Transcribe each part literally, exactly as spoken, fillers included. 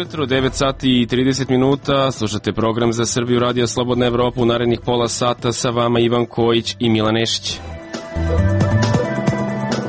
jutro, devet sati i trideset minuta, slušate program za Srbiju Radio Slobodna Evropa. U narednih pola sata sa vama Ivan Kojić i Milan Nešić.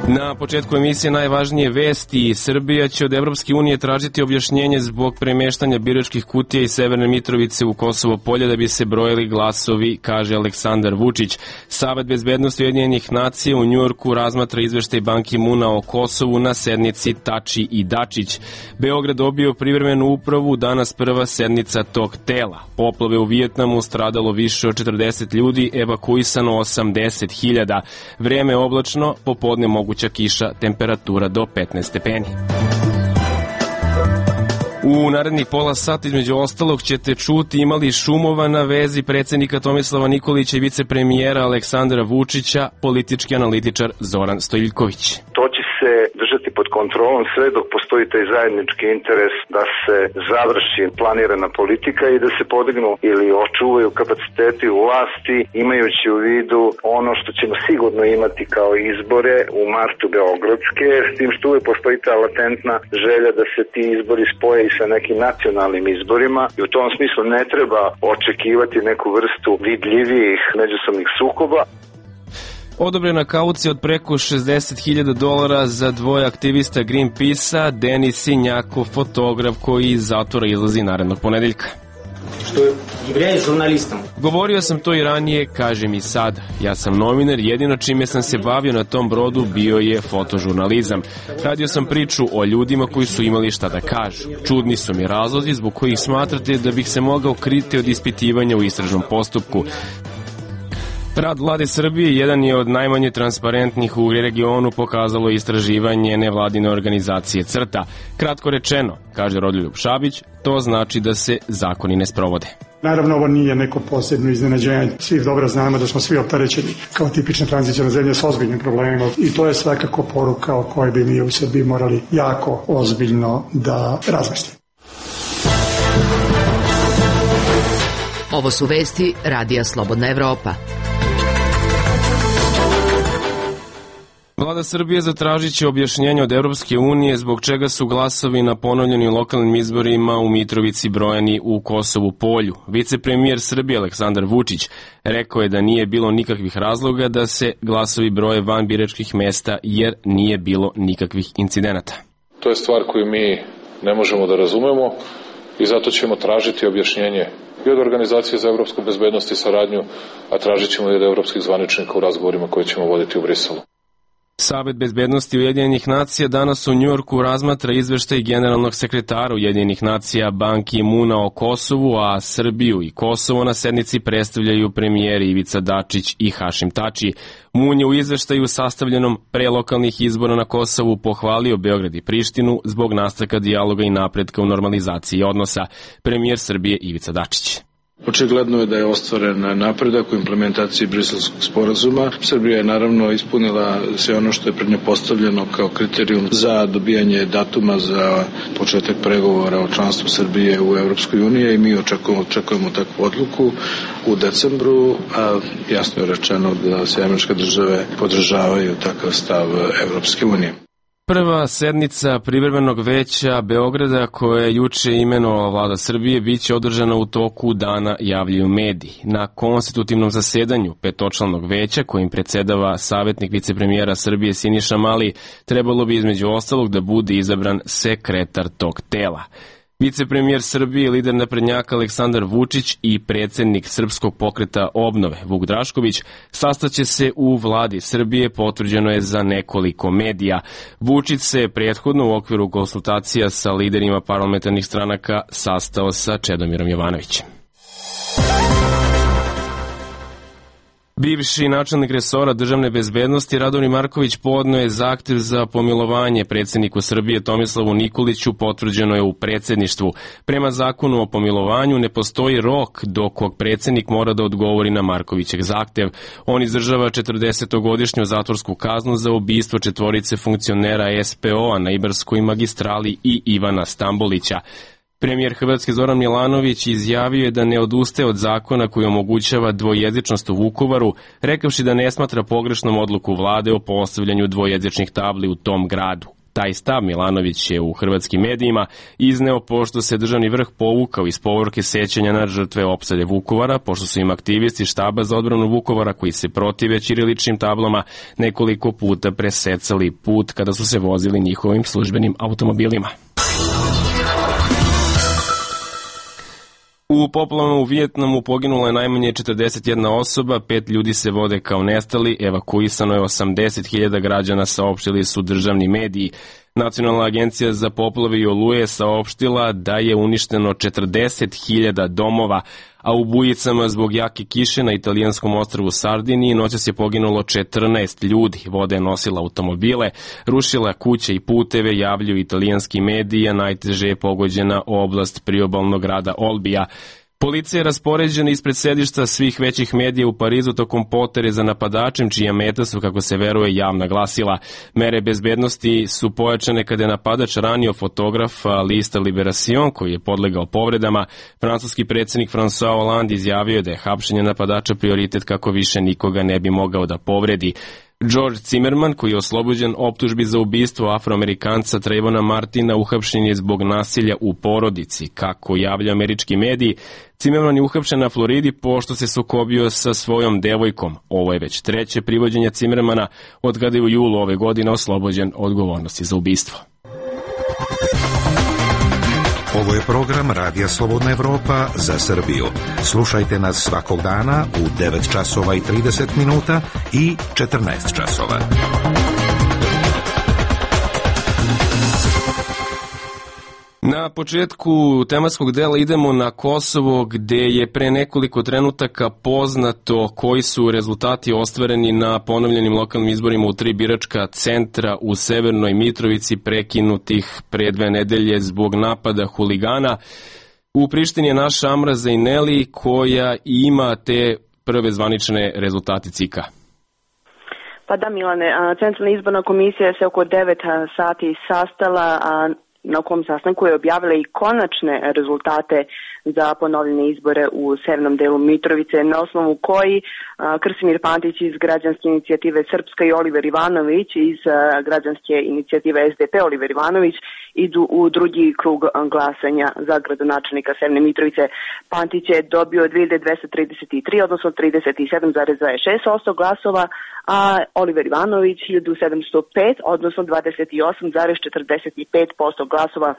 Na početku emisije najvažnije vesti. Srbija će od Evropske unije tražiti objašnjenje zbog premeštanja biračkih kutija iz Severne Mitrovice u Kosovo Polje da bi se brojili glasovi, kaže Aleksandar Vučić. Savet bezbednosti Ujedinjenih nacija u Njujorku razmatra izveštaj Ban Ki-muna o Kosovu na sednici Tači i Dačić. Beograd dobio privremenu upravu, danas prva sednica tog tela. Poplave u Vijetnamu, stradalo više od četrdeset ljudi, evakuisano osamdeset hiljada. Vreme oblačno, popodne moguća kiša, temperatura do petnaest stepeni. U narednih pola sata između ostalog ćete čuti imali šumova na vezi predsjednika Tomislava Nikolića i vicepremijera Aleksandra Vučića, politički analitičar Zoran Stojiljković. To će se držati pod kontrolom sve dok postoji taj zajednički interes da se završi planirana politika i da se podignu ili očuvaju kapaciteti u vlasti, imajući u vidu ono što ćemo sigurno imati kao izbore u martu beogradske, s tim što uvijek postoji ta latentna želja da se ti izbori spoje i sa nekim nacionalnim izborima i u tom smislu ne treba očekivati neku vrstu vidljivijih međusobnih sukoba. Odobrena kaucija od preko šezdeset hiljada dolara za dvoje aktivista Greenpeace-a, Denis Sinjakov, fotograf koji iz zatvora izlazi narednog ponedeljka. Što являюсь žurnalistom. Govorio sam to i ranije, kažem i sad. Ja sam novinar, jedino čime sam se bavio na tom brodu bio je fotožurnalizam. Radio sam priču o ljudima koji su imali šta da kažu. Čudni su mi razlozi zbog kojih smatrate da bih se mogao kriti od ispitivanja u istražnom postupku. Rad vlade Srbije jedan je od najmanje transparentnih u regionu, pokazalo istraživanje nevladine organizacije CRTA. Kratko rečeno, kaže Rodoljub Šabić, to znači da se zakoni ne sprovode. Naravno, ovo nije neko posebno iznenađenje. Svi dobro znamo da smo svi opterećeni kao tipična tranzicijna zemlja s ozbiljnim problemima i to je svakako poruka o kojoj bi mi u Srbiji morali jako ozbiljno da razmislimo. Ovo su vesti Radija Slobodna Evropa. Vlada Srbije zatražit će objašnjenje od Evropske unije zbog čega su glasovi na ponovljenim lokalnim izborima u Mitrovici brojani u Kosovu Polju. Vicepremijer Srbije Aleksandar Vučić rekao je da nije bilo nikakvih razloga da se glasovi broje van biračkih mesta jer nije bilo nikakvih incidenata. To je stvar koju mi ne možemo da razumemo i zato ćemo tražiti objašnjenje i od Organizacije za evropsku bezbednost i saradnju, a tražit ćemo i od evropskih zvaničnika u razgovorima koje ćemo voditi u Briselu. Savet bezbednosti Ujedinjenih nacija danas u Njujorku razmatra izveštaj generalnog sekretara Ujedinjenih nacija Ban Ki-muna o Kosovu, a Srbiju i Kosovo na sednici predstavljaju premijeri Ivica Dačić i Hašim Tači. Mun je u izveštaju sastavljenom pre lokalnih izbora na Kosovu pohvalio Beograd i Prištinu zbog nastavka dijaloga i napretka u normalizaciji odnosa. Premijer Srbije Ivica Dačić. Očigledno je da je ostvaren napredak u implementaciji Briselskog sporazuma. Srbija je naravno ispunila sve ono što je pred nje postavljeno kao kriterijum za dobijanje datuma za početak pregovora o članstvu Srbije u Evropskoj uniji i mi očekujemo, očekujemo takvu odluku u decembru, a jasno je rečeno da sve američke države podržavaju takav stav Evropske unije. Prva sednica privremenog veća Beograda koja je juče imenovala vlada Srbije biće održana u toku dana, javljaju mediji. Na konstitutivnom zasedanju petočlanog veća kojim predsedava savjetnik vicepremijera Srbije Siniša Mali trebalo bi između ostalog da bude izabran sekretar tog tela. Vicepremijer Srbije, lider naprednjaka Aleksandar Vučić i predsjednik Srpskog pokreta obnove Vuk Drašković sastaće se u vladi Srbije, potvrđeno je za nekoliko medija. Vučić se prethodno u okviru konsultacija sa liderima parlamentarnih stranaka sastao sa Čedomirom Jovanovićem. Bivši načelnik resora državne bezbednosti Radomir Marković podneo je zahtev za pomilovanje predsjedniku Srbije Tomislavu Nikoliću, potvrđeno je u predsjedništvu. Prema zakonu o pomilovanju ne postoji rok do kog predsjednik mora da odgovori na Markovićev zahtev. On izdržava četrdesetogodišnju zatvorsku kaznu za ubistvo četvorice funkcionera es pe o-a na Ibarskoj magistrali i Ivana Stambolića. Premijer Hrvatske Zoran Milanović izjavio je da ne odustaje od zakona koji omogućava dvojezičnost u Vukovaru, rekavši da ne smatra pogrešnom odluku vlade o postavljanju dvojezičnih tabli u tom gradu. Taj stav Milanović je u hrvatskim medijima izneo pošto se državni vrh povukao iz povorke sećanja na žrtve opsade Vukovara, pošto su im aktivisti štaba za odbranu Vukovara koji se protive ćiriličnim tablama nekoliko puta presecali put kada su se vozili njihovim službenim automobilima. U poplavama u Vijetnamu poginulo je najmanje četrdeset jedna osoba, pet ljudi se vode kao nestali, evakuisano je osamdeset hiljada građana, saopštili su državni mediji. Nacionalna agencija za poplave i oluje saopštila da je uništeno četrdeset hiljada domova, a u bujicama zbog jake kiše na italijanskom ostrvu Sardiniji noćas je poginulo četrnaest ljudi. Voda je nosila automobile, rušila kuće i puteve, javljaju italijanski mediji, a najteže je pogođena oblast priobalnog grada Olbija. Policija je raspoređena ispred sedišta svih većih medija u Parizu tokom potere za napadačem, čija meta su, kako se veruje, javna glasila. Mere bezbednosti su pojačane kada je napadač ranio fotografa lista Liberation, koji je podlegao povredama. Francuski predsjednik François Hollande izjavio da je hapšenje napadača prioritet kako više nikoga ne bi mogao da povredi. George Zimmerman, koji je oslobođen optužbi za ubistvo Afroamerikanca Trayvona Martina, uhapšen je zbog nasilja u porodici. Kako javlja američki mediji, Zimmerman je uhapšen na Floridi pošto se sukobio sa svojom devojkom. Ovo je već treće privođenje Zimmermana od kada je u julu ove godine oslobođen odgovornosti za ubistvo. Ovo je program Radija Slobodna Evropa za Srbiju. Slušajte nas svakog dana u devet časova i trideset minuta i četrnaest časova. Na početku tematskog dela idemo na Kosovo, gde je pre nekoliko trenutaka poznato koji su rezultati ostvareni na ponovljenim lokalnim izborima u tri biračka centra u Severnoj Mitrovici, prekinutih pre dve nedelje zbog napada huligana. U Prištini je naša Amra Zejneli koja ima te prve zvanične rezultate C I K-a. Pa da, Milane, Centralna izborna komisija se oko devet sati sastala, a na kom sastanku je objavila i konačne rezultate za ponovljene izbore u severnom delu Mitrovice, na osnovu koji a, Krsimir Pantić iz građanske inicijative Srpska i Oliver Ivanović iz a, građanske inicijative S D P Oliver Ivanović idu u drugi krug glasanja za gradonačelnika Severne Mitrovice. Pantić je dobio dve hiljade dvesta trideset tri, odnosno trideset sedam zarez dvadeset šest posto glasova, a Oliver Ivanović hiljadu sedamsto pet, odnosno dvadeset osam zarez četrdeset pet posto glasova.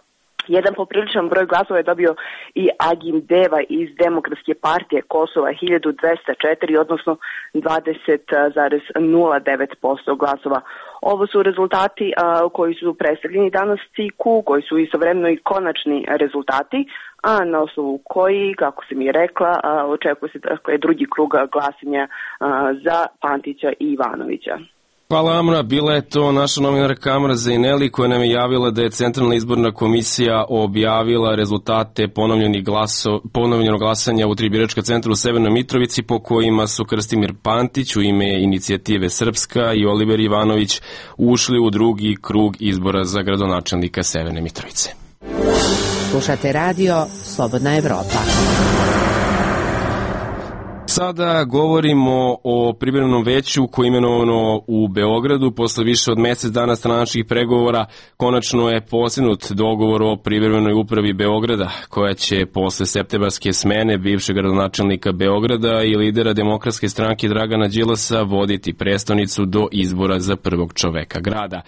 Jedan popriličan broj glasova je dobio i Agim Deva iz Demokratske partije Kosova, hiljadu dvesta četiri, odnosno dvadeset zarez nula devet posto glasova. Ovo su rezultati a, koji su predstavljeni danas C I K-u, koji su istovremeno i konačni rezultati, a na osnovu koji, kako sam i rekla, a, očekuje se dakle, drugi krug glasanja a, za Pantića i Ivanovića. Hvala, Amra. Bila je to naša novinarka Amra Zejneli koja nam je javila da je Centralna izborna komisija objavila rezultate ponovljenih glaso, ponovljenog glasanja u tri biračka centra u Severnoj Mitrovici, po kojima su Krstimir Pantić u ime inicijative Srpska i Oliver Ivanović ušli u drugi krug izbora za gradonačelnika Severne Mitrovice. Slušate radio Slobodna Evropa. Sada govorimo o privremenom veću koje je imenovano u Beogradu. Posle više od mesec dana stranačkih pregovora konačno je postignut dogovor o privremenoj upravi Beograda, koja će posle septembarske smene bivšeg gradonačelnika Beograda i lidera Demokratske stranke Dragana Đilasa voditi prestonicu do izbora za prvog čoveka grada.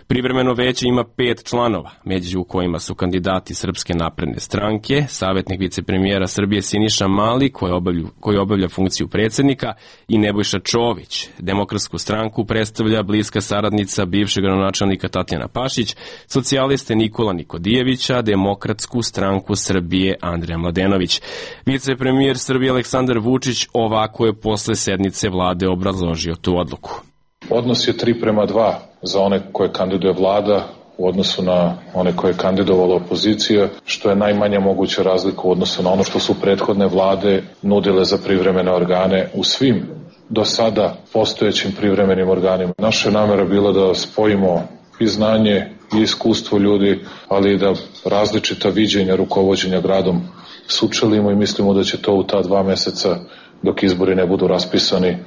Privremeno veće ima pet članova, među kojima su kandidati Srpske napredne stranke, savjetnik vicepremijera Srbije Siniša Mali, koji obavlja, koji obavlja funkciju predsjednika, i Nebojša Čović. Demokratsku stranku predstavlja bliska saradnica bivšeg gradonačelnika Tatjana Pašić, socijaliste Nikola Nikodijevića, Demokratsku stranku Srbije Andreja Mladenović. Vicepremijer Srbije Aleksandar Vučić ovako je posle sednice vlade obrazložio tu odluku. Odnos je tri prema dva za one koje kandiduje vlada u odnosu na one koje je kandidovala opozicija, što je najmanja moguća razlika u odnosu na ono što su prethodne vlade nudile za privremene organe u svim do sada postojećim privremenim organima. Naša namera bila da spojimo i znanje i iskustvo ljudi, ali i da različita viđenja rukovođenja gradom sučelimo i mislimo da će to u ta dva meseca, dok izbori ne budu raspisani,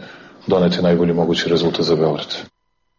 doneti najbolji mogući rezultat za Beograd.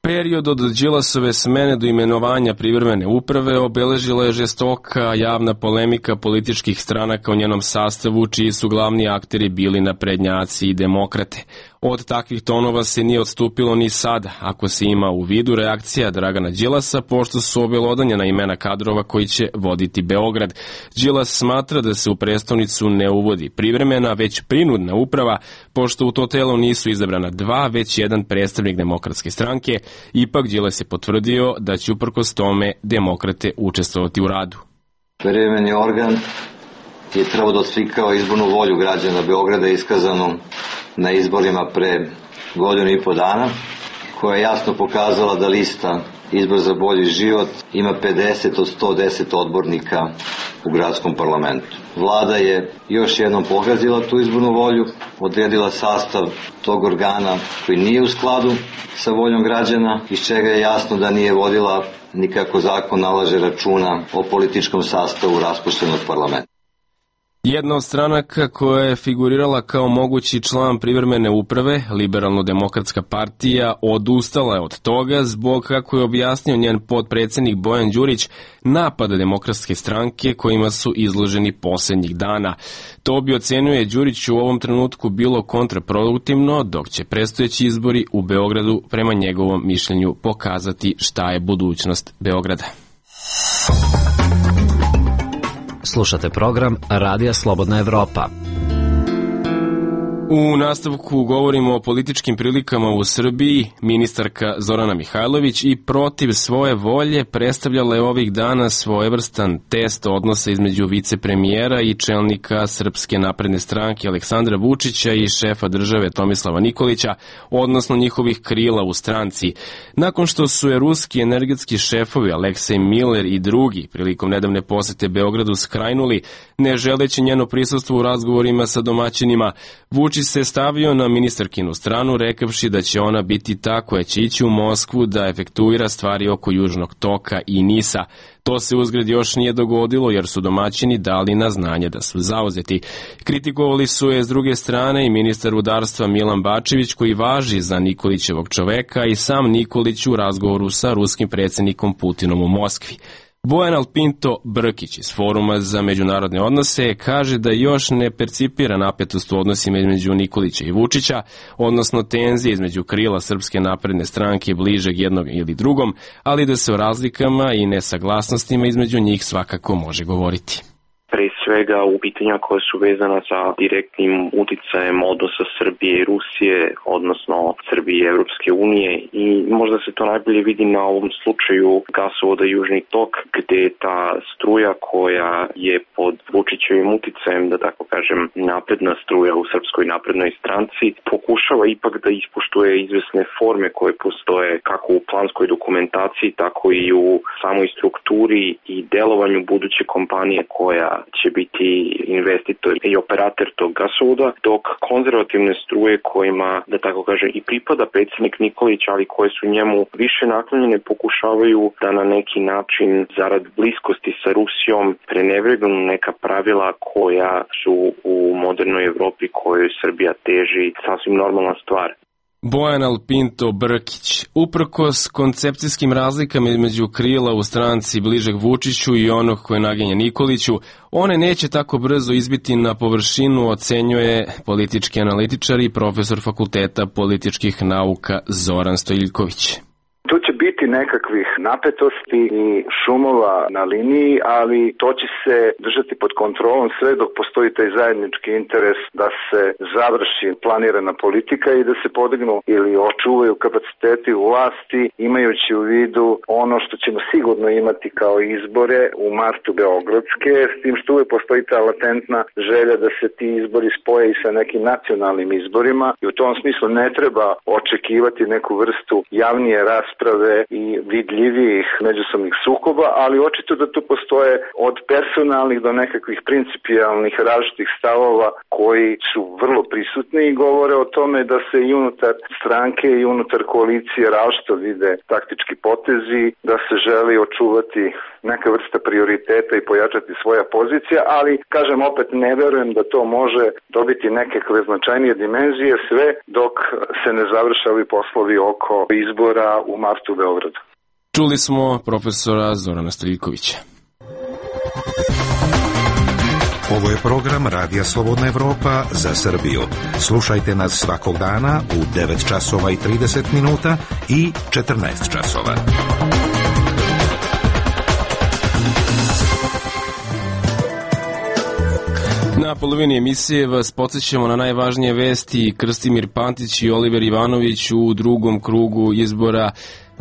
Period od Đilasove smene do imenovanja privremene uprave obeležila je žestoka javna polemika političkih stranaka u njenom sastavu, čiji su glavni akteri bili naprednjaci i demokrate. Od takvih tonova se nije odstupilo ni sada, ako se ima u vidu reakcija Dragana Đilasa, pošto su obelodanjena imena kadrova koji će voditi Beograd. Đilas smatra da se u prestonicu ne uvodi privremena, već prinudna uprava, pošto u to telo nisu izabrana dva, već jedan predstavnik Demokratske stranke. Ipak Đilas je potvrdio da će uprkos tome demokrate učestvovati u radu. Privremeni organ je trebao da odslikava izbornu volju građana Beograda iskazanu na izborima pre godinu i po dana, koja je jasno pokazala da lista Izbor za bolji život ima pedeset od sto deset odbornika u gradskom parlamentu. Vlada je još jednom pogazila tu izbornu volju, odredila sastav tog organa koji nije u skladu sa voljom građana, iz čega je jasno da nije vodila nikako zakon nalaže računa o političkom sastavu raspuštenog parlamenta. Jedna od stranaka koja je figurirala kao mogući član privremene uprave, Liberalno-demokratska partija, odustala je od toga zbog, kako je objasnio njen potpredsednik Bojan Đurić, napada Demokratske stranke kojima su izloženi poslednjih dana. To bi, ocenjuje Đurić, u ovom trenutku bilo kontraproduktivno, dok će predstojeći izbori u Beogradu prema njegovom mišljenju pokazati šta je budućnost Beograda. Slušate program Radija Slobodna Evropa. U nastavku govorimo o političkim prilikama u Srbiji. Ministarka Zorana Mihajlović i protiv svoje volje predstavljala je ovih dana svojevrstan test odnosa između vicepremijera i čelnika Srpske napredne stranke Aleksandra Vučića i šefa države Tomislava Nikolića, odnosno njihovih krila u stranci. Nakon što su je ruski energetski šefovi Aleksej Miller i drugi prilikom nedavne posete Beogradu skrajnuli, ne želeći njeno prisustvo u razgovorima sa domaćinima, Vučić se stavio na ministarkinu stranu, rekavši da će ona biti ta koja će ići u Moskvu da efektuira stvari oko Južnog toka i Nisa. To se uzgred još nije dogodilo jer su domaćini dali na znanje da su zauzeti. Kritikovali su je s druge strane i ministar rudarstva Milan Bačević, koji važi za Nikolićevog čoveka, i sam Nikolić u razgovoru sa ruskim predsjednikom Putinom u Moskvi. Bojan Alpinto Brkić iz Foruma za međunarodne odnose kaže da još ne percipira napetost u odnosima između Nikolića i Vučića, odnosno tenzije između krila Srpske napredne stranke bližeg jednog ili drugom, ali da se o razlikama i nesaglasnostima između njih svakako može govoriti. Pre svega u pitanja koja su vezana sa direktnim uticajem odnosa Srbije i Rusije, odnosno Srbije i Evropske unije, i možda se to najbolje vidi na ovom slučaju gasovoda Južni tok, gde ta struja koja je pod Vučićevim uticajem, da tako kažem, napredna struja u Srpskoj naprednoj stranci, pokušava ipak da ispoštuje izvesne forme koje postoje kako u planskoj dokumentaciji, tako i u samoj strukturi i delovanju buduće kompanije koja će biti investitor i operator tog gasovoda, dok konzervativne struje kojima, da tako kaže, i pripada predsjednik Nikolić, ali koje su njemu više naklonjene, pokušavaju da na neki način, zarad bliskosti sa Rusijom, prenevregnu neka pravila koja su u modernoj Evropi kojoj Srbija teži, sasvim normalna stvar. Bojan Alpinto Brkić. Uprkos koncepcijskim razlikama između krila u stranci bližeg Vučiću i onog koje naginje Nikoliću, one neće tako brzo izbiti na površinu, ocenjuje politički analitičar i profesor Fakulteta političkih nauka Zoran Stojiljković. Tu će biti nekakvih napetosti i šumova na liniji, ali to će se držati pod kontrolom sve dok postoji taj zajednički interes da se završi planirana politika i da se podignu ili očuvaju kapaciteti vlasti, imajući u vidu ono što ćemo sigurno imati kao izbore u martu beogradske, s tim što uvek postoji ta latentna želja da se ti izbori spoje i sa nekim nacionalnim izborima, i u tom smislu ne treba očekivati neku vrstu javnije rasprave i vidljivijih međusobnih sukoba, ali očito da tu postoje od personalnih do nekakvih principijalnih različitih stavova koji su vrlo prisutni i govore o tome da se i unutar stranke i unutar koalicije različito vide taktički potezi, da se želi očuvati neka vrsta prioriteta i pojačati svoja pozicija, ali, kažem opet, ne verujem da to može dobiti nekakve značajnije dimenzije sve dok se ne završe ovi poslovi oko izbora u martu martu u Beogradu. Čuli smo profesora Zorana Striljkovića. Ovo je program Radija Slobodna Evropa za Srbiju. Slušajte nas svakog dana u devet časova i trideset minuta i četrnaest časova. Na polovini emisije vas podsjećamo na najvažnije vesti. Krstimir Pantić i Oliver Ivanović u drugom krugu izbora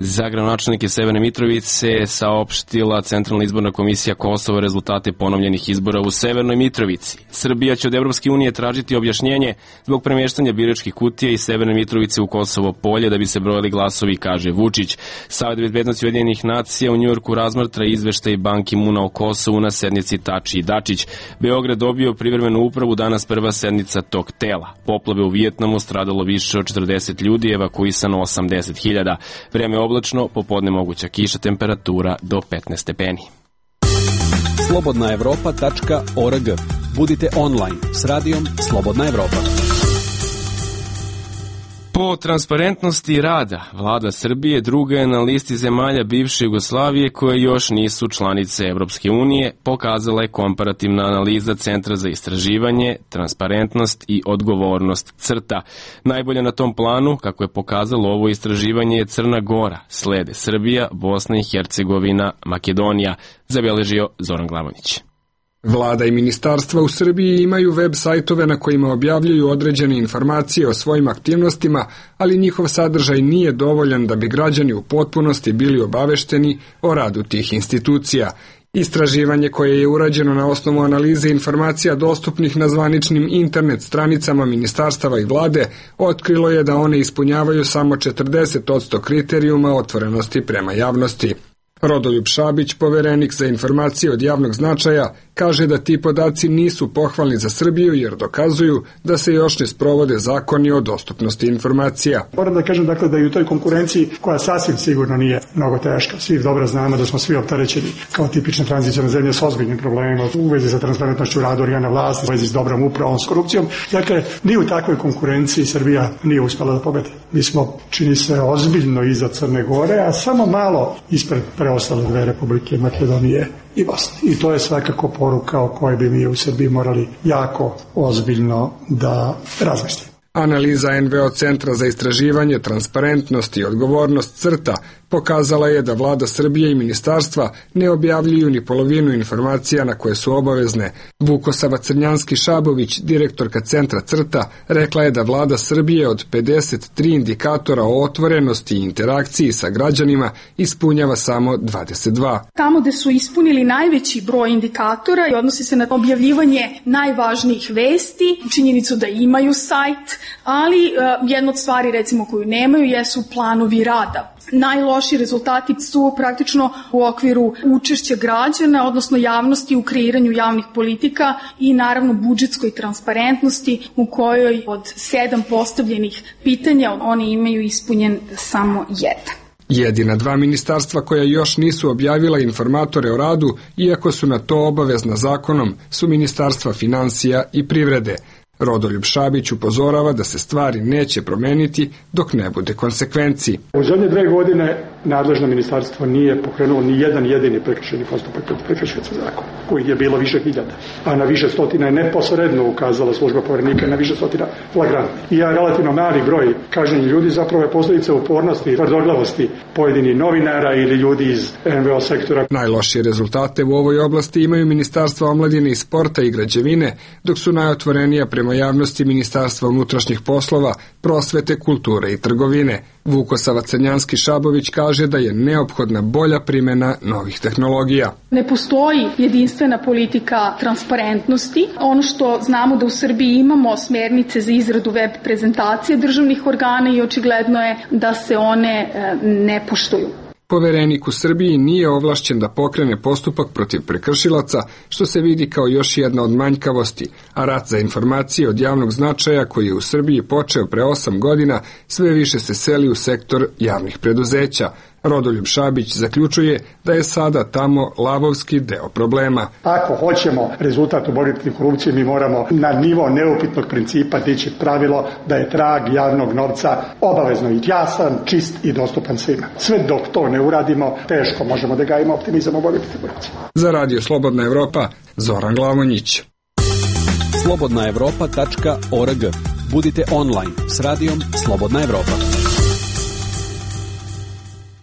za gradonačelnike Severne Mitrovice saopštila Centralna izborna komisija Kosova rezultate ponovljenih izbora u Severnoj Mitrovici. Srbija će od Evropske unije tražiti objašnjenje zbog premeštanja biračkih kutija iz Severne Mitrovice u Kosovo polje da bi se brojali glasovi, kaže Vučić. Savet bezbednosti Ujedinjenih nacija u Njujorku razmatra izveštaj Ban Ki-muna o Kosovu na sednici Tači i Dačić. Beograd dobio privremenu upravu, danas prva sednica tog tela. Poplave u Vijetnamu, stradalo više od četrdeset ljudi, evakuisano osamdeset hiljada. Vreme oblačno, popodne moguća kiša, temperatura do petnaest stepeni. slobodna evropa tačka org. Budite online s radijom Slobodna Evropa. Po transparentnosti rada, vlada Srbije druga je na listi zemalja bivše Jugoslavije koje još nisu članice Evropske unije, pokazala je komparativna analiza Centra za istraživanje, transparentnost i odgovornost CRTA. Najbolje na tom planu, kako je pokazalo ovo istraživanje, je Crna Gora, slede Srbija, Bosna i Hercegovina, Makedonija, zabeležio Zoran Glavonić. Vlada i ministarstva u Srbiji imaju web sajtove na kojima objavljuju određene informacije o svojim aktivnostima, ali njihov sadržaj nije dovoljan da bi građani u potpunosti bili obavešteni o radu tih institucija. Istraživanje koje je urađeno na osnovu analize informacija dostupnih na zvaničnim internet stranicama ministarstava i vlade otkrilo je da one ispunjavaju samo četrdeset posto kriterijuma otvorenosti prema javnosti. Rodoljub Šabić, poverenik za informacije od javnog značaja, kaže da ti podaci nisu pohvalni za Srbiju jer dokazuju da se još ne sprovode zakoni o dostupnosti informacija. Moram da kažem dakle da i u toj konkurenciji, koja sasvim sigurno nije mnogo teška, svi dobro znamo da smo svi opterećeni kao tipična tranzicijna zemlja s ozbiljnim problemima u vezi sa transparentnošću rada organa vlasti, u vezi s dobrom upravom, s korupcijom. Dakle, ni u takvoj konkurenciji Srbija nije uspela da pobedi. Mi smo, čini se, ozbiljno iza Crne Gore, a samo malo ispred preostale dve republike, Makedonije i Bosne. I to je svakako poruka o kojoj bi mi u Srbiji morali jako ozbiljno da razmislimo. Analiza en ve o Centra za istraživanje, transparentnost i odgovornost CRTA pokazala je da vlada Srbije i ministarstva ne objavljuju ni polovinu informacija na koje su obavezne. Vukosava Crnjanski-Šabović, direktorka Centra CRTA, rekla je da vlada Srbije od pedeset tri indikatora o otvorenosti i interakciji sa građanima ispunjava samo dvadeset dva. Tamo gde su ispunili najveći broj indikatora i odnosi se na objavljivanje najvažnijih vesti, činjenicu da imaju sajt, ali uh, jedna od stvari recimo koju nemaju jesu planovi rada. Najloši rezultati su praktično u okviru učešća građana, odnosno javnosti u kreiranju javnih politika i naravno budžetskoj transparentnosti u kojoj od sedam postavljenih pitanja oni imaju ispunjen samo jedan. Jedina dva ministarstva koja još nisu objavila informatore o radu, iako su na to obavezna zakonom, su ministarstva finansija i privrede. Rodoljub Šabić upozorava da se stvari neće promeniti dok ne bude konsekvenciji. U zadnje dve godine nadležno ministarstvo nije pokrenulo ni jedan jedini prekršajni postupak protiv prekršioca zakona, kojih je bilo više hiljada, a na više stotina je neposredno ukazala služba poverenika, na više stotina flagrantnih. I ja relativno mali broj kažnjenih ljudi zapravo je posljedica upornosti i tvrdoglavosti pojedinih novinara ili ljudi iz en ve o sektora. Najlošije rezultate u ovoj oblasti imaju Ministarstva omladine i sporta i građevine, dok su najotvorenija prema javnosti Ministarstva unutrašnjih poslova, prosvete, kulture i trgovine. Vukosava Crnjanski-Šabović kaže da je neophodna bolja primjena novih tehnologija. Ne postoji jedinstvena politika transparentnosti. Ono što znamo da u Srbiji imamo smernice za izradu web prezentacije državnih organa i očigledno je da se one ne poštuju. Poverenik u Srbiji nije ovlašćen da pokrene postupak protiv prekršilaca, što se vidi kao još jedna od manjkavosti, a rat za informacije od javnog značaja koji je u Srbiji počeo pre osam godina sve više se seli u sektor javnih preduzeća, Rodoljub Šabić zaključuje da je sada tamo lavovski deo problema. Ako hoćemo rezultat u borbi protiv korupcije, mi moramo na nivo neupitnog principa dići pravilo da je trag javnog novca obavezno i jasan, čist i dostupan svima. Sve dok to ne uradimo, teško možemo da gajimo optimizam u borbi protiv korupcije. Za Radio Slobodna Evropa, Zoran Glavonjić. slobodna evropa tačka org. Budite online s radijom Slobodna Evropa.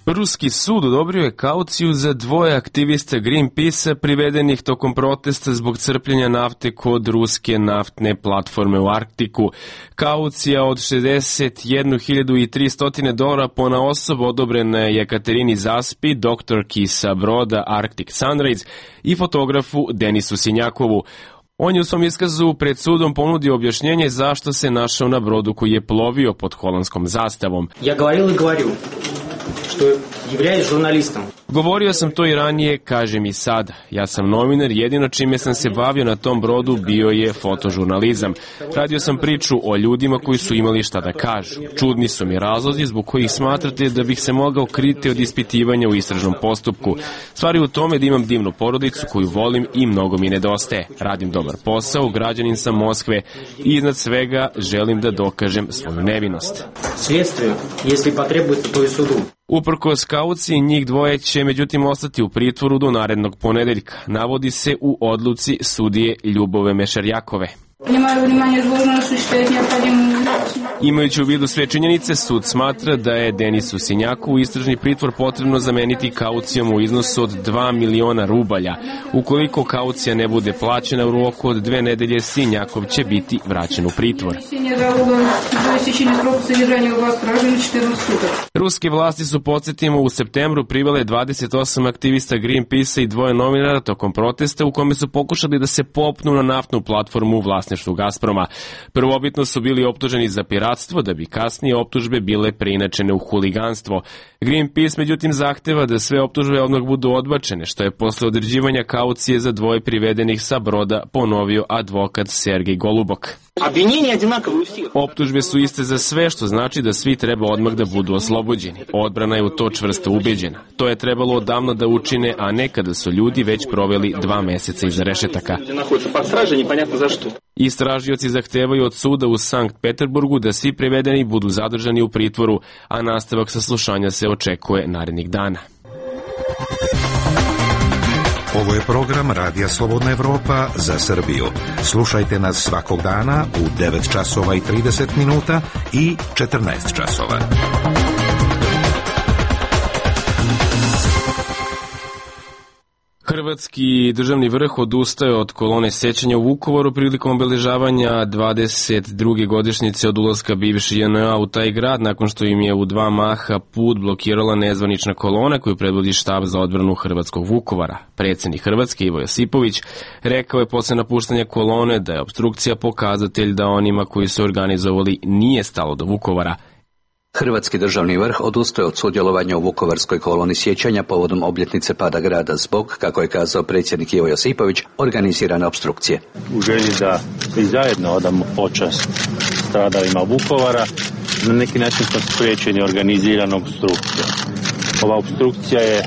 Ruski sud odobrio je kauciju za dvoje aktivista Greenpeace privedenih tokom protesta zbog crpljenja nafte kod ruske naftne platforme u Arktiku. Kaucija od šezdeset jednu hiljadu tristo dolara po na osobu odobrena je Jekaterini Zaspi, doktorki sa broda Arctic Sunrise i fotografu Denisu Sinjakovu. On je u svom iskazu pred sudom ponudio objašnjenje zašto se našao na brodu koji je plovio pod holandskom zastavom. Ja govoril i govoril što являюсь žurnalistom. Govorio sam to i ranije, kažem i sad. Ja sam novinar, jedino čime sam se bavio na tom brodu bio je fotožurnalizam. Radio sam priču o ljudima koji su imali šta da kažu. Čudni su mi razlozi zbog kojih smatrate da bih se mogao kriti od ispitivanja u istražnom postupku. Stvar je u tome da imam divnu porodicu koju volim i mnogo mi nedostaje. Radim dobar posao, građanin sam Moskve i iznad svega želim da dokažem svoju nevinost. Следствию, если потребуется, то и суду. Uprkos kauciji, njih dvoje će međutim ostati u pritvoru do narednog ponedeljka, navodi se u odluci sudije Ljubove Mešarjakove. Imajući u vidu sve činjenice, sud smatra da je Denisu Sinjakovu istražni pritvor potrebno zameniti kaucijom u iznosu od dva miliona rubalja. Ukoliko kaucija ne bude plaćena u roku od dve nedelje, Sinjakov će biti vraćen u pritvor. Ruske vlasti su, podsjetimo, u septembru privele dvadeset osam aktivista Greenpeace i dvoje novinara tokom protesta u kome su pokušali da se popnu na naftnu platformu u vlasništvu Gazproma. Prvobitno su bili optuženi za piratstvo, da bi kasnije optužbe bile preinačene u huliganstvo. Greenpeace međutim zahteva da sve optužbe odmah budu odbačene, što je posle određivanja kaucije za dvoje privedenih sa broda ponovio advokat Sergej Golubok. Optužbe su iste za sve, što znači da svi treba odmah da budu oslobođeni. Odbrana je u to čvrsto ubeđena. To je trebalo odavno da učine, a ne kada su ljudi već proveli dva meseca iza rešetaka. Istražioci zahtevaju od suda u Sankt Peterburgu da svi privedeni budu zadržani u pritvoru, a nastavak saslušanja se očekuje narednih dana. Ovo je program Radija Slobodna Evropa za Srbiju. Slušajte nas svakog dana u devet časova i trideset minuta i četrnaest časova. Hrvatski državni vrh odustaje od kolone sećanja u Vukovaru prilikom obeležavanja dvadeset druge godišnjice od ulaska bivše J N A u taj grad, nakon što im je u dva maha put blokirala nezvanična kolona koju predvodi štab za odbranu hrvatskog Vukovara. Predsjednik Hrvatske Ivo Josipović rekao je posle napuštanja kolone da je opstrukcija pokazatelj da onima koji su organizovali nije stalo do Vukovara. Hrvatski državni vrh odustaje od sudjelovanja u Vukovarskoj koloni sjećanja povodom obljetnice pada grada zbog, kako je kazao predsjednik Ivo Josipović, organizirane opstrukcije. U želji da i zajedno odamo počast stradalima Vukovara, na neki način smo spriječeni organiziranom opstrukcijom. Ova opstrukcija je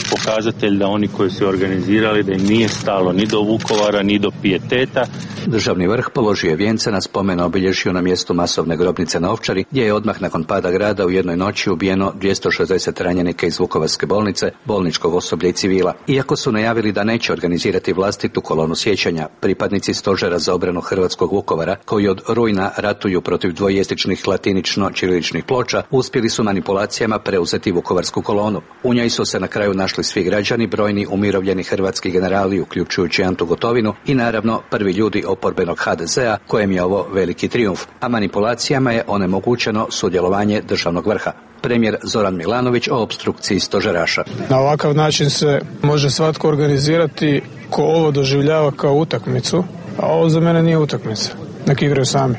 pokazatelj da oni koji su organizirali, da im nije stalo ni do Vukovara, ni do pijeteta. Državni vrh položio je vijence na spomen obilježju na mjestu masovne grobnice na Ovčari, gdje je odmah nakon pada grada u jednoj noći ubijeno dvjesto šezdeset ranjenika iz Vukovarske bolnice, bolničkog osoblja i civila. Iako su najavili da neće organizirati vlastitu kolonu sjećanja, pripadnici stožera za obranu hrvatskog Vukovara, koji od rujna ratuju protiv dvojezičnih latinično-ćiriličnih ploča, uspjeli su manipulacijama preuzeti Vukovarsku kolonu. U njoj su se na kraju našli svi građani, brojni umirovljeni hrvatski generali, uključujući Antu Gotovinu i naravno prvi ljudi oporbenog H D Z-a, kojem je ovo veliki trijumf, a manipulacijama je onemogućeno sudjelovanje državnog vrha. Premijer Zoran Milanović o opstrukciji stožeraša. Na ovakav način se može svatko organizirati ko ovo doživljava kao utakmicu, a ovo za mene nije utakmica. Nek igraju sami.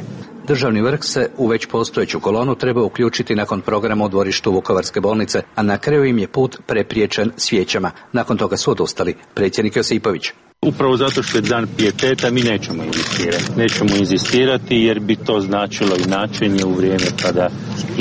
Državni vrh se u već postojeću kolonu treba uključiti nakon programa u dvorištu Vukovarske bolnice, a na kraju im je put prepriječen svijećama. Nakon toga su odustali. Predsjednik Josipović. Upravo zato što je dan pijeteta mi nećemo inzistirati. Nećemo inzistirati jer bi to značilo inačenje u vrijeme kada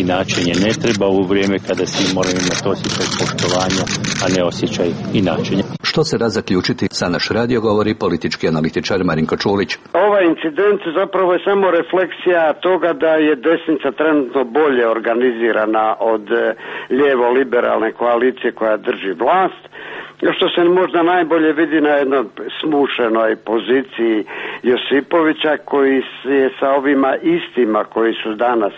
inačenje ne treba, u vrijeme kada svi moraju imati osjećaj poštovanja, a ne osjećaj inačenja. Što se da zaključiti, sa naš radio govori politički analitičar Marinko Čulić. Ovaj incident zapravo je samo refleksija toga da je desnica trenutno bolje organizirana od lijevo-liberalne koalicije koja drži vlast, što se možda najbolje vidi na jednoj smušenoj poziciji Josipovića koji je sa ovima istima koji su danas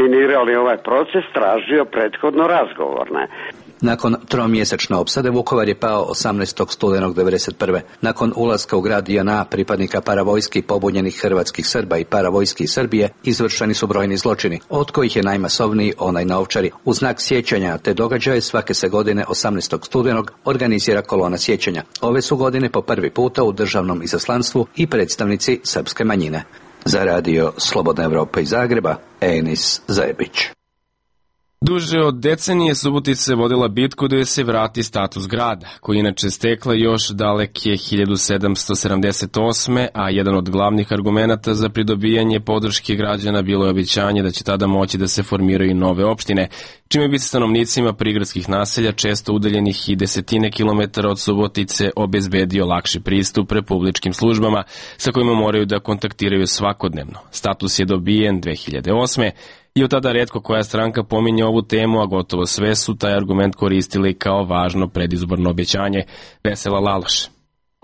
minirali ovaj proces tražio prethodno razgovorne. Nakon tromjesečne opsade Vukovar je pao osamnaestog studenog devedeset prve. Nakon ulaska u grad J N A pripadnika paravojski pobunjenih hrvatskih Srba i paravojski Srbije izvršeni su brojni zločini, od kojih je najmasovniji onaj na Ovčari. U znak sjećanja te događaje svake se godine osamnaestog studenog organizira kolona sjećanja. Ove su godine po prvi puta u državnom izaslanstvu i predstavnici srpske manjine. Za radio Slobodna Evropa iz Zagreba, Enis Zajebić. Duže od decenije Subotica je vodila bitku da joj se vrati status grada, koji inače stekla još daleke hiljadu sedamsto sedamdeset osme. a jedan od glavnih argumenata za pridobijanje podrške građana bilo je obećanje da će tada moći da se formiraju nove opštine, čime bi se stanovnicima prigradskih naselja, često udaljenih i desetine kilometara od Subotice, obezbedio lakši pristup republičkim službama sa kojima moraju da kontaktiraju svakodnevno. Status je dobijen dve hiljade osme. I od tada retko koja stranka pominje ovu temu, a gotovo sve su taj argument koristili kao važno predizborno obećanje. Vesela Laloš.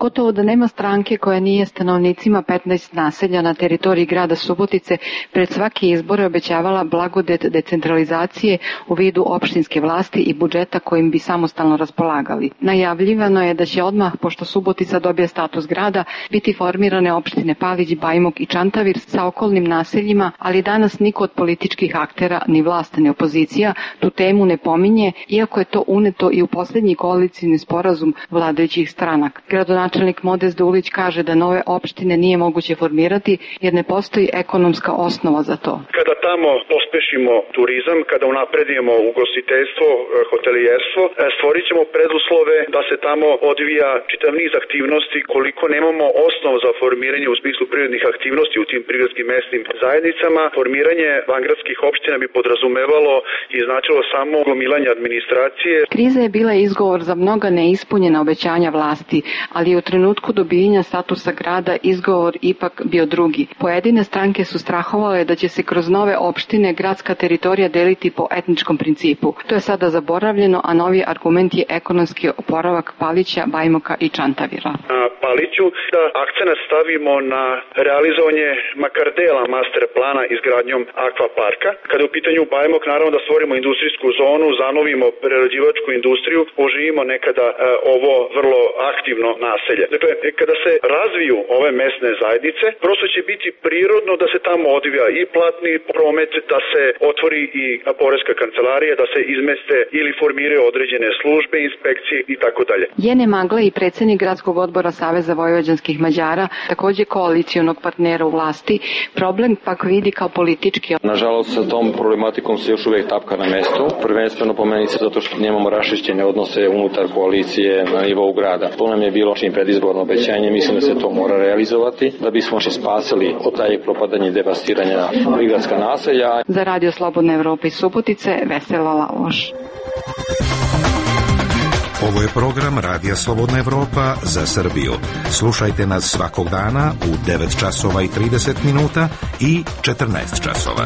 Gotovo da nema stranke koja nije stanovnicima petnaest naselja na teritoriji grada Subotice pred svaki izbor obećavala blagodet decentralizacije u vidu opštinske vlasti i budžeta kojim bi samostalno raspolagali. Najavljivano je da će odmah, pošto Subotica dobije status grada, biti formirane opštine Palić, Bajmok i Čantavir sa okolnim naseljima, ali danas niko od političkih aktera, ni vlast, ni opozicija, tu temu ne pominje, iako je to uneto i u posljednji koalicijni sporazum vladajućih stranaka. Gradonačelnik Načelnik Modest Dulić kaže da nove opštine nije moguće formirati jer ne postoji ekonomska osnova za to. Kada tamo pospešimo turizam, kada unapredimo ugostiteljstvo, hotelijerstvo, stvorit ćemo preduslove da se tamo odvija čitav niz aktivnosti. Koliko nemamo osnov za formiranje u smislu privrednih aktivnosti u tim prigradskim mesnim zajednicama, formiranje vangradskih opština bi podrazumevalo i značilo samo gomilanje administracije. Kriza je bila izgovor za mnoga neispunjena obećanja vlasti, ali u trenutku dobijenja statusa grada izgovor ipak bio drugi. Pojedine stranke su strahovale da će se kroz nove opštine gradska teritorija deliti po etničkom principu. To je sada zaboravljeno, a novi argument je ekonomski oporavak Palića, Bajmoka i Čantavira. Na Paliću da akcenat stavimo na realizovanje makar dela master plana izgradnjom akvaparka. Kada je u pitanju Bajmok, naravno da stvorimo industrijsku zonu, zanovimo prerađivačku industriju, oživimo nekada e, ovo vrlo aktivno naselje. Dakle, kada se razviju ove mesne zajednice, prosto će biti prirodno da se tamo odvija i platni promet, da se otvori i poreska kancelarija, da se izmeste ili formiraju određene službe, inspekcije i tako dalje. Jene Magla i predsjednik gradskog odbora Saveza vojvođanskih Mađara, također koalicionog partnera u vlasti, problem pak vidi kao politički. Nažalost, sa tom problematikom se još uvijek tapka na mestu, prvenstveno po meni se zato što nemamo raščišćene odnose unutar koalicije na nivou grada. To nam je bilo čim predizborno obećanje, mislim da se to mora realizovati, da bismo se spasili od taj propadanja i devastiranja prigradska naselja. Za radio Slobodna Evropa iz Subotice, Vesela Laloš. Ovo je program Radija Slobodna Evropa za Srbiju. Slušajte nas svakog dana u devet časova i trideset minuta i četrnaest časova.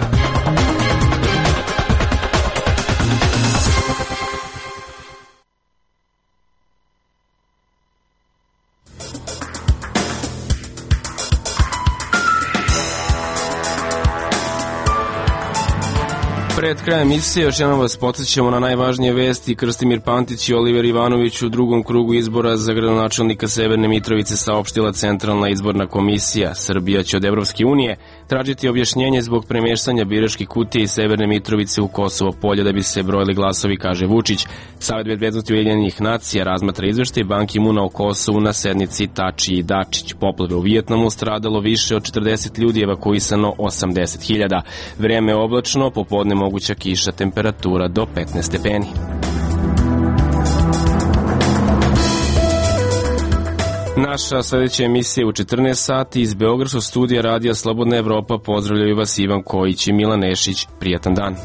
Pred krajem emisije još jednom vas podsjećamo na najvažnije vesti. Krstimir Pantić i Oliver Ivanović u drugom krugu izbora za gradonačelnika Severne Mitrovice saopštila Centralna izborna komisija. Srbija će od Evropske unije tražiti objašnjenje zbog premeštanja biračkih kutija iz Severne Mitrovice u Kosovo polje da bi se brojili glasovi, kaže Vučić. Savet bezbednosti Ujedinjenih nacija razmatra izveštaj Ban Ki-muna o Kosovu na sednici Tači i Dačić. Poplave u Vijetnamu, stradalo više od četrdeset ljudi, evakuisano osamdeset hiljada. Vreme je oblačno, popodne moguća kiša, temperatura do petnaest stepeni. Naša sledeća emisija je u četrnaest sati iz Beogradskog studija Radija Slobodna Evropa. Pozdravljaju vas Ivan Kojić i Milan Nešić. Prijatan dan.